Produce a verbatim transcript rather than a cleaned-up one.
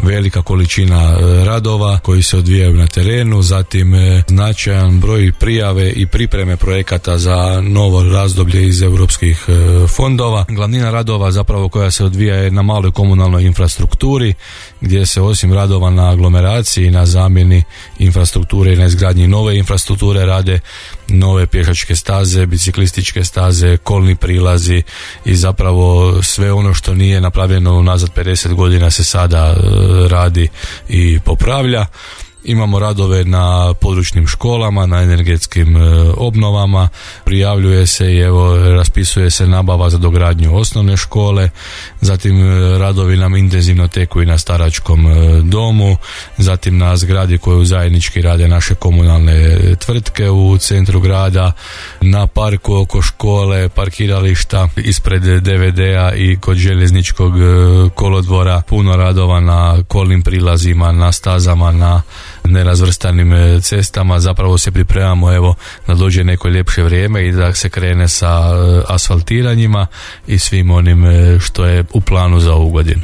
velika količina radova koji se odvijaju na terenu, zatim značajan broj prijave i pripreme projekata za novo razdoblje iz europskih fondova. Glavnina radova zapravo koja se odvija je na maloj komunalnoj infrastrukturi, gdje se osim radova na aglomeraciji, na zamjeni infrastrukture i na izgradnji nove infrastrukture rade nove pješačke staze, biciklističke staze, kolni prilazi i zapravo sve ono što nije napravljeno unazad pedeset godina se sada radi i popravlja. Imamo radove na područnim školama, na energetskim obnovama, prijavljuje se i evo raspisuje se nabava za dogradnju osnovne škole, zatim radovi nam intenzivno teku i na staračkom domu, zatim na zgradi koju zajednički rade naše komunalne tvrtke u centru grada, na parku oko škole, parkirališta ispred D V D-a i kod željezničkog kolodvora, puno radova na kolnim prilazima, na stazama, na nerazvrstanim cestama. Zapravo se pripremamo evo da dođe neko ljepše vrijeme i da se krene sa asfaltiranjima i svim onim što je u planu za ovu godinu.